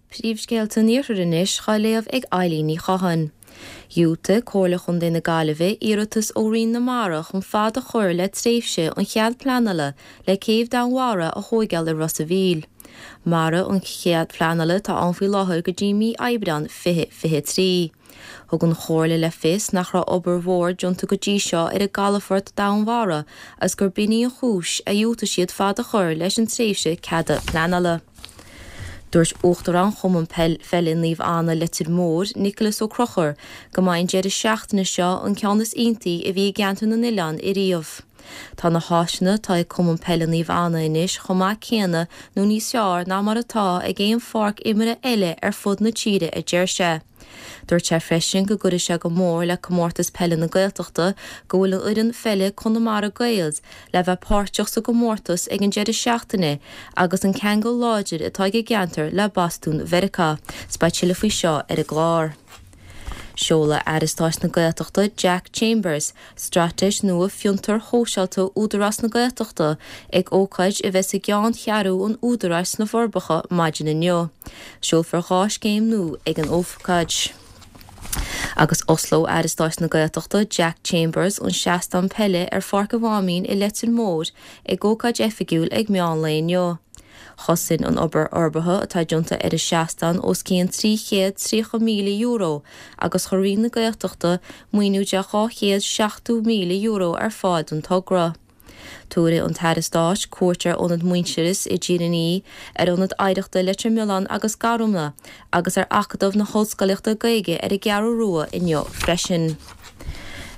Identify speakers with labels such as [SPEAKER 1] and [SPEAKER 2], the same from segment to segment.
[SPEAKER 1] Príomhscéalta an Iarthair anois dhá léamh ag Eilín Ní Chatháin. Dhiúltaigh Comhairle Chontae na Gaillimhe iarratas ó Roinn na Mara chun fad a chur le tréimhse an chead pleanála le céibh Domhainmhara a thóigeáil i Ros a' Mhíl. Mairfidh an chead pleanála atá ann faoi láthair go dtí mí Aibreán 2023. Thug an Chomhairle le fios nach raibh obair mhór déanta go dtí seo ar an gcalafort domhainmhara agus gur b'in í an chúis a dhiúltaigh siad fad a chur leis an tréimhse ceada pleanála. Dúirt Uachtarán Chumann Peile Naomh Anna Leitir Móir, Nicholas Ó Conchúir, go mbeidh an deireadh seachtaine seo an ceann is iontaí a bhí i gceantar na n-oileán ariamh. Tá na háiseanna atá ag Cumann Peile Naomh Anna anois chomh maith céanna nó níos fearr ná mar atá ag aon pháirc imeartha eile ar fud na tíre a deir sé. Dúirt sé freisin go gcuirfidh sé go mór le Comórtas Peile na Gaeltachta go bhfuil an fhoireann pheile Conamara Gaels le bheith páirteach sa gcomórtas ag an deireadh seachtaine agus an ceangal láidir atá ag an gceantar le Bostún Mheiriceá. 'S beidh tuilleadh faoi seo ar an gclár. Seolfaidh Aire Stáit na Gaeltachta Jack Chambers Straitéis nua Fiontair Shóisialta Údarás na Gaeltachta ag ócáid a bheas i gceanncheathrú an Údaráis sna Forbacha maidin inniu. Seolfar 2 scéim nua ag an ócáid. Agus osclóidh Aire Stáit na Gaeltachta Jack Chambers an seastán peile ar Pháirc an Mháimín i Leitir Móir ag ócáid oifigiúil ag meán lae inniu. Chosain an obair fhorbartha atá déanta ar an seastán os cionn €330,000 agus chuir Roinn na Gaeltachta maoiniú de €270,000 ar fáil don togra. Tabharfaidh an tAire Stáit cuairt ar Ionad Muintearas i dTír an Fhia, ar Ionad Oidhreachta Leitir Mealláin agus Garumna agus ar Acadamh na hOllscolaíochta Gaeilge ar an gCeathrú Rua inniu freisin.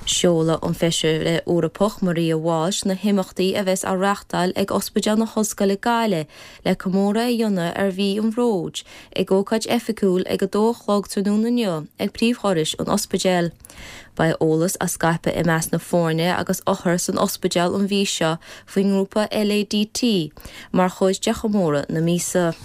[SPEAKER 1] Seolfaidh an Feisire Eorpach Maria Walsh na himeachtaí a bheas á reáchtáil ag Ospidéal na hOllscoile Gaillimh le comóradh a dhéanamh ar Mhí an Bhróid ag ócáid oifigiúil ag 2 a chlog tráthnóna inniu ag príomhdhorais an ospidéil. Beidh eolas á scaipeadh i measc na foirne agus othar san ospidéal an mhí seo faoin ngrúpa LADT mar chuid de chomóradh na míosa.